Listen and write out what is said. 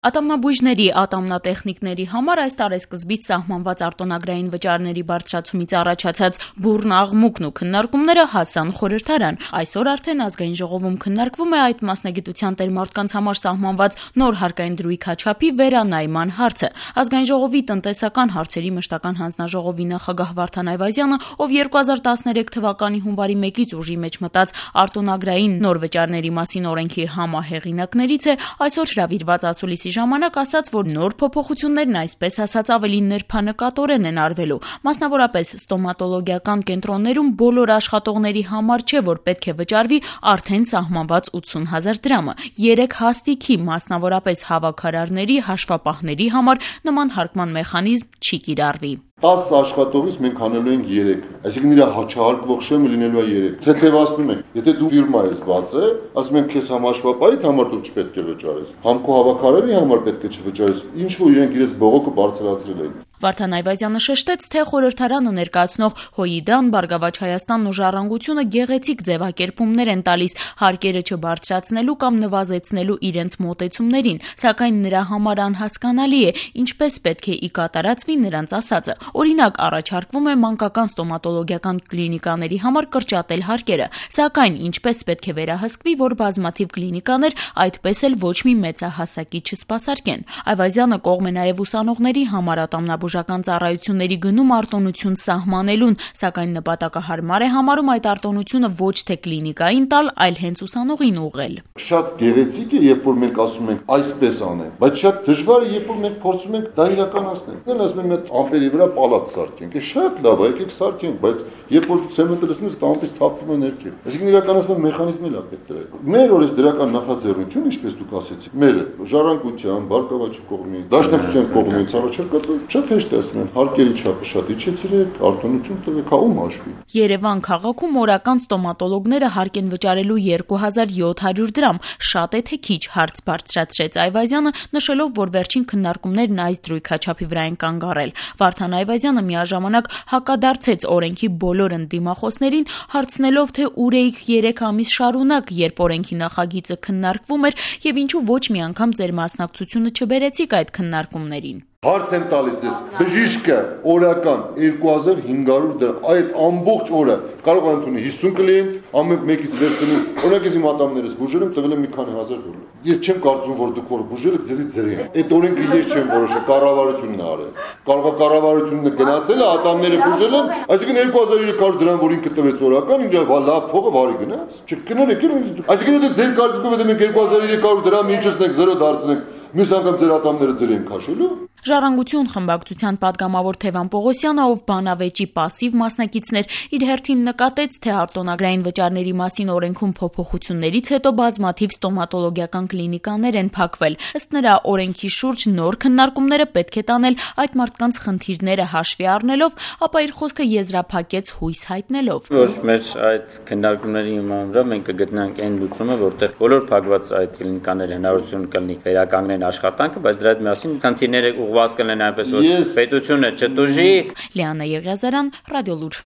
Ատամնաբույժների, ատամնատեխնիկների համար այս տարեսկզբից սահմանված արտոնագրային վճարների բարձրացումից առաջացած բուռն աղմուկն ու քննարկումները հասան խորհրդարան։ Այսօր արդեն Ազգային ժողովում քննարկվում է այդ մասնագիտության տեր մարդկանց համար սահմանված նոր հարկային դրույքաչափի վերանայման հարցը։ Ազգային ժողովի տնտեսական հարցերի մշտական հանձնաժողովի նախագահ Վարդան Այվազյանը, ով 2013 թվականի հունվարի 1-ից ուժի մեջ մտած արտոնագրային նոր վճարների մասին օրենքի համահեղինակներից է, այսօր հրավիրված ասուլիսի ժամանակ ասաց, որ նոր փոփոխություններն այսպես ասած ավելի նրբանկատորեն են արվելու։ Մասնավորապես ստոմատոլոգիական կենտրոններում բոլոր աշխատողների համար չէ, որ պետք է վճարվի արդեն սահմանված 80,000 դրամը։ 3 հաստիքի, մասնավորապես հավաքարարների, հաշվապահների համար նման հարկման մեխանիզմ չի կիրառվի։ 10 աշխատողից մենք անելու ենք 3, այսինքն իր հաճահարկվող շեմը լինելու է 3։ Թեթևացնում ենք, եթե դու ֆիրմա ես բացել, ասում ենք քեզ համաշխապահի համար դու չպետք է վճարես, համ քո հավաքարարի համար պետք է չվճարես, ինչ որ իրենք իրենց բողոքը բարձրացրել են։ Վարդան Այվազյանը շեշտեց, թե խորհրդարանը ներկայացնող ՀՅԴ-ն, Բարգավաճ Հայաստանն ու Ժառանգությունը գեղեցիկ ձևակերպումներ են տալիս հարկերը չբարձրացնելու կամ նվազեցնելու իրենց մոտեցումներին, սակայն նրա համար անհասկանալի է, ինչպես պետք է ի կատարածվի նրանց ասածը։ Օրինակ, առաջարկվում է մանկական ստոմատոլոգիական կլինիկաների համար կրճատել հարկերը, սակայն ինչպես պետք է վերահսկվի, որ բազմաթիվ կլինիկաներ այդպես էլ ոչ մի մեծահասակի չսպասարկեն։ Այվազյանը կողմ է նաև ուսանողների համար ատամնաբուժական ծառայությունների գնում արտոնություն սահմանելուն, սակայն նպատակահարմար է համարում այդ արտոնությունը ոչ թե կլինիկային տալ, այլ հենց ուսանողին ուղղել։ Շատ գեղեցիկ է, երբ որ մենք ասում ենք այսպես անեն, բայց շատ դժվար է, երբ որ մենք փորձում ենք դա իրականացնել։ Դեռ ասում եմ այդ ամպերի վրա պալատ սարքենք, շատ լավ է, եկեք սարքենք, բայց երբ որ ցեմենտը լցնես, դա ամպից թափվում է ներքև։ Այսինքն իրականացման մեխանիզմն էլ է պետք դրա։ Մեր օրես դրական նախաձեռնություն, ինչպես դուք ասեցիք, մերը ժառանգության, Բարգավաճի կողմից, Դաշնակցության կողմից առաջարկած շատ հեշտ է ասում, հարկերի չափը շատ իջեցրեք, արտոնություն տվեք, ում հաշվի։ Երևան քաղաքում օրական ստոմատոլոգները հարկ են վճարելու 2700 դրամ, շատ է թե քիչ, հարց բարձրացրեց Այվազյանը, նշելով, որ վերջին քննարկումներն այս դրույքաչափի վրա են կանգ առել։ Վարդան Այվազյանը միաժամանակ հակադարձեց օրենքի բոլոր ընդդիմախոսներին, հարցնելով, թե ուր էիք 3 ամիս շարունակ, երբ օրենքի նախագիծը քննարկվում էր, եւ ինչու ոչ մի անգամ ձեր մասնակցությունը չբերեցիք այդ քննարկումներին։ Հարց եմ տալիս ես, բժիշկը օրական 2500 դրամ, այդ ամբողջ օրը կարող է ընդունի 50 կլիենտ, ամեն մեկից վերցնում, օրինակ ես իմ ատամներս բուժել եմ, տվել եմ մի քանի հազար դոլար։ Ես չեմ կարծում, որ դուք որ բուժել եք, ձեզից ձրի։ Այդ օրենքը ես չեմ որոշել, կառավարությունն է արել։ Կարող է կառավարությունը գնացել է, ատամները բուժել են, այսինքն 2300 դրամ, որ ինքը տվեց օրական, ինձ լավ փողը վարի գնաց։ Չկներեք, այսինքն դե ձեր կարծիքով եթե մենք 2300 դրամ իջեցնենք 0 դարձնենք, մյուս անգամ ձեր ատամները ձեր են քաշելու։ Ժառանգություն խմբակցության պատգամավոր Թևան Պողոսյանը, ով բանավեճի պասիվ մասնակիցներ, իր հերթին նկատեց, թե արտոնագրային վճարների մասին օրենքում փոփոխություններից հետո բազմաթիվ ստոմատոլոգիական կլինիկաներ են փակվել։ Ըստ նրա, օրենքի շուրջ նոր քննարկումները պետք է տանել այդ մարդկանց խնդիրները հաշվի առնելով, ապա իր խոսքը եզրափակեց հույս հայտնելով։ Որ մեր այդ քննարկումների հիման վրա մենք կգտնանք այն լուծումը, որտեղ բոլոր փակված այդ կլինիկաները հնարավորություն կլինի վերականգնեն աշխատանքը, բայց դրա հետ միասին խնդիրները ուղղված կլինեն այնպես, որ պետությունը չտուժի։ Լիանա Եղիազարյան, Ռադիոլուր։